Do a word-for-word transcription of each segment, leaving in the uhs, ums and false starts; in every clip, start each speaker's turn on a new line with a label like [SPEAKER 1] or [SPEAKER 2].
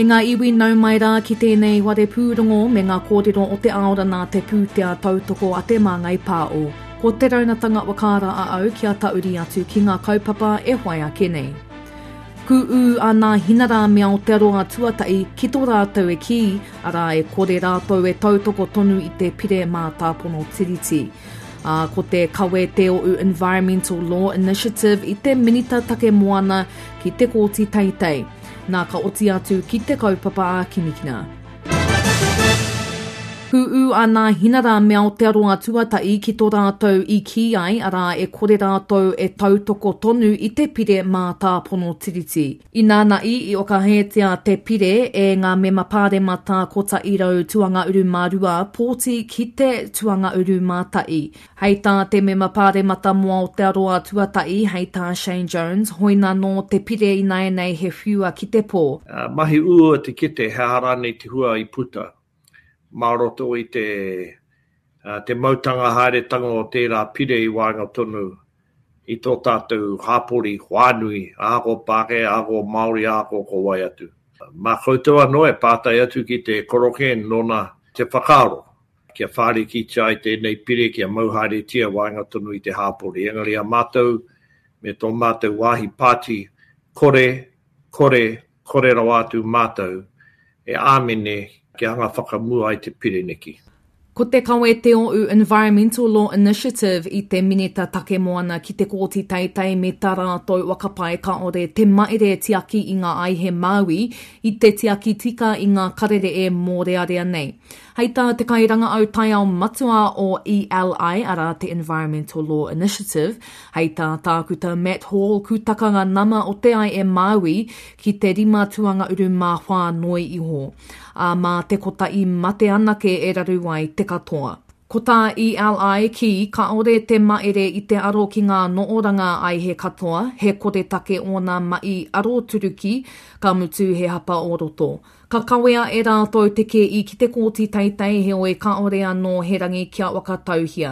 [SPEAKER 1] E ngā iwi nau mai rā ki tēnei ware pūrongo me ngā kōrero o te aora nā te pūtea tautoko a Te Māngai Pāo. Ko te raunatanga wakaara a au kia tauri atu ki ngā kaupapa e whai ake nei. Ku ū a Nā Hinara me Aotearoa Tuatahi ki tō rātou e kī, arā e kore rātou e tautoko tonu i te pire mātāpono tiriti. Ā, ko te kawe Te Oʻu Environmental Law Initiative i te Minita Take Moana ki te Kōti Teitei. Nā ka oti atu ki te kaupapa ā-kinikina. Ku ū a Nā Hinara me Aotearoa Tuatahi ki tō rātou i kī ai, arā e kore rātou e tautoko tonu i te pire mātāpono tiriti. Inānaʻi i whakahētia te pire e ngā mema pāremata kotahi rau tuanga uru mā rua pōti ki te tuanga uru mā tahi. Hei tā te mema pāremata mō Aotearoa Tuatahi, hei tā Shane Jones, hoina nō te pire ināianei he whiua ki te pō.
[SPEAKER 2] Mahi uaua te kite he aha rānei te hua i puta mā roto i te, te mautanga haeretanga o tērā pire i waenga tonu i tō tātou hāpori whānui, ahakoa Pākehā, ahakoa Māori, ahakoa ko wai atu. Mā koutou anō e pātai atu ki te korokē nōna te whakaaro kia whārikitia ai tēnei pire kia mau haeretia waenga tonu i te hāpori. Engari a mātou me tō mātou wāhi pāti kore, kore, kore rawa atu mātou e āmene kia anga whakamua ai te pire neki.
[SPEAKER 1] Ko te kawe Te Oʻu Environmental Law Initiative i te Minita Take Moana ki te Kōti Teitei me tā rātou whakapae kāore te maere tiaki i ngā aihe Māui i te tiaki tika i ngā karere e mōrearea nei. Hei tā te kairangaau taiao matua o E L I, arā te Environmental Law Initiative, hei tā Tākuta Matt Hall kūtaka ngā nama o te ai e Māui ki te rima tuanga uru mā whā noi iho, ā, mā te kotahi mate anake e raru ai te katoa. Ko tā E L I kī, kāore te maere i te aro ki ngā nooranga aihe katoa, he koretake ōna mahi aroturuki, ka mutu he hapa o roto. Ka kawea e rātou te kēi ki te kōti teitei heoi kāore anō he rangi kia whakatauhia.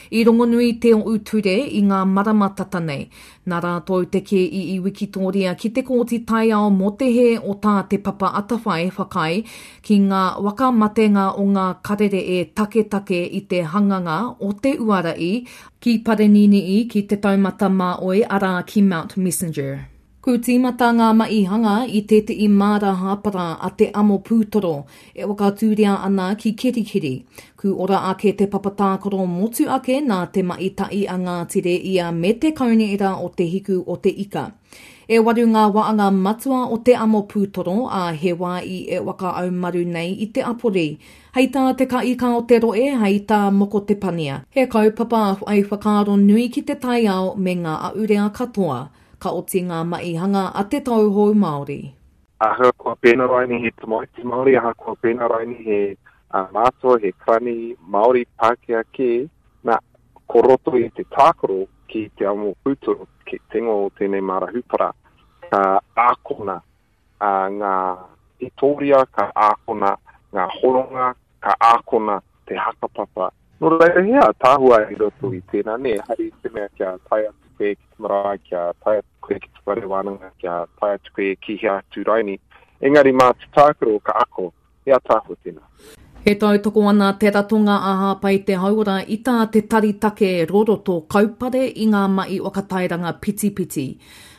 [SPEAKER 1] I rongonui te Oʻu Ture i ngā marama tata nei. Nā rātou te kēi i Wikitoria ki te kōti taiao mō te hē o tā Te Papa Atawhai whakaae ki ngā whakamatenga o ngā karere e taketake i te hanganga o te uara i ki Parenini'i ki te taumata māoi arā ki Mount Messenger. Ku tīmata ngā mahi hanga i tētehi māra hāpara a te amo pūtoro e whakatūria ana ki Kerikeri. Ku ora ake te papa tākaro motu ake nā te mahi tahi a Ngāti Rēia me te kaunihera o Te Hiku o Te Ika. E waru ngā waanga matua o te amo pūtoro a he wā i e whakaaumaru nei i te apori. Hei tā te kaika o te roe, hei tā Moko Te Pania. He kaupapa whai whakaaro nui ki te taiao me ngā ahurea katoa. Ka oti ngā mahi hanga a te tauhou Māori.
[SPEAKER 3] Ahakoa pēnā raini he tamaiti Māori, ahakoa pēnā raini he mātua, he karani Māori Pākehā kē, nā, ko roto i te tākaro ki te amo pūtoro, ki te ingoa o tēnei māra hūpara, ka ākona ngā hitoria, ka ākona ngā horonga, ka ākona te hakapapa. Nō reira, he ātaahua i roto i tēnā, nē, hari i te mea kia tae atu koe ki te marae, kia tae atu koe ki te whare wānanga, kia tae atu koe ki hea atu raini. Engari mā te tākaro ka ako, he ātaahua tēnā.
[SPEAKER 1] E tautoko ana te ratonga a Hāpai Te Hauora i tā te Tari Take Roroto kaupare i ngā mahi whakatairanga pitipiti.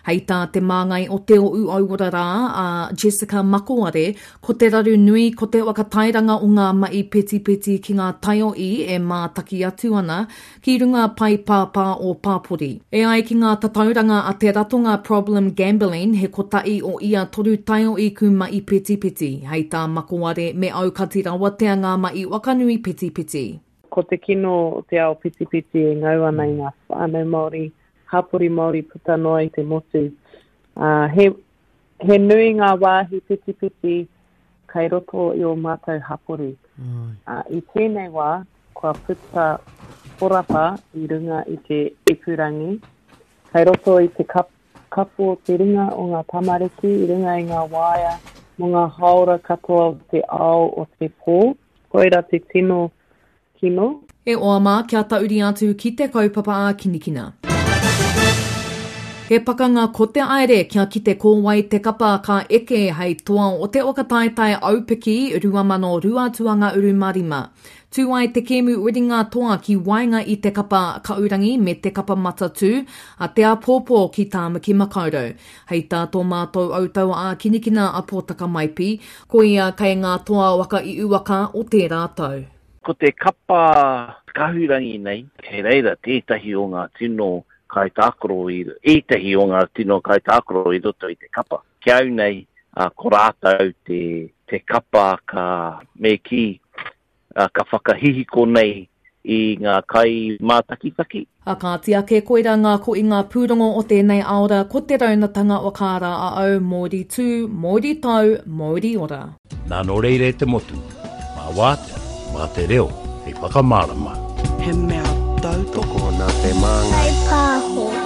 [SPEAKER 1] Hei tā te māngai o Te Oʻu Auora rā, a Jessica Makoare, ko te raru nui ko te whakatairanga o ngā mahi petipeti ki ngā taiohi e mātaki atu ana ki runga pae pāpā o pāpori. E ai ki ngā tatauranga a te ratonga Problem Gambling, he kotahi o ia toru taiohi ku mahi petipeti. Hei tā Makoare me aukati rawatea ngā mahi wakanui petipeti.
[SPEAKER 4] Ko te kino o te ao petipeti e ngau ana i ngā whānau Māori, hapori Māori puta noa i te motu. Uh, he, he nui ngā wāhi petipeti kei roto i o mātou hapori. Uh, i tēnei wā, kua puta horapa i runga i te ipurangi, kei roto i te kap, kapu o te ringa o ngā tamariki, i runga i ngā waea, mō ngā haora katoa o te ao o te pō. Koira te tino kino.
[SPEAKER 1] E oa mā, kia tauri atu ki te kaupapa ā-kinikina. He He pakanga ko te aere kia kite ko wai te kapa ka eke hei toa o te whakataetae aupiki rua mano rua tuanga uru mā rima. Tū ai te kēmu uringa toa ki waenga i te kapa Kaurangi me te kapa Matatū a te āpōpō ki Tāmaki Makaurau. Hei tā tō mātou autau ā-kinikina a Pōtaka Maipi, ko ia kei ngā toa waka i uaka o tērā tau.
[SPEAKER 5] Ko te kapa Kahurangi nei, kei reira tētahi o ngā tino kaitākaro i, ētahi o ngā tino kaitākaro i roto i te kapa. Ki au nei, ko rātou te, te kapa ka me kī, ka whakahihiko nei i ngā kai mātakitaki.
[SPEAKER 1] A kāti ake koira ngā ko i ngā pūrongo o tēnei aora ko te raunatanga o kāra a au Māori tū, Māori tau, Māori ora.
[SPEAKER 6] Nā nō reira e te motu, mā wātea, mā te reo, hei whakamārama.
[SPEAKER 7] He mea tautoko
[SPEAKER 8] nā te māngai.
[SPEAKER 9] Kai pāho.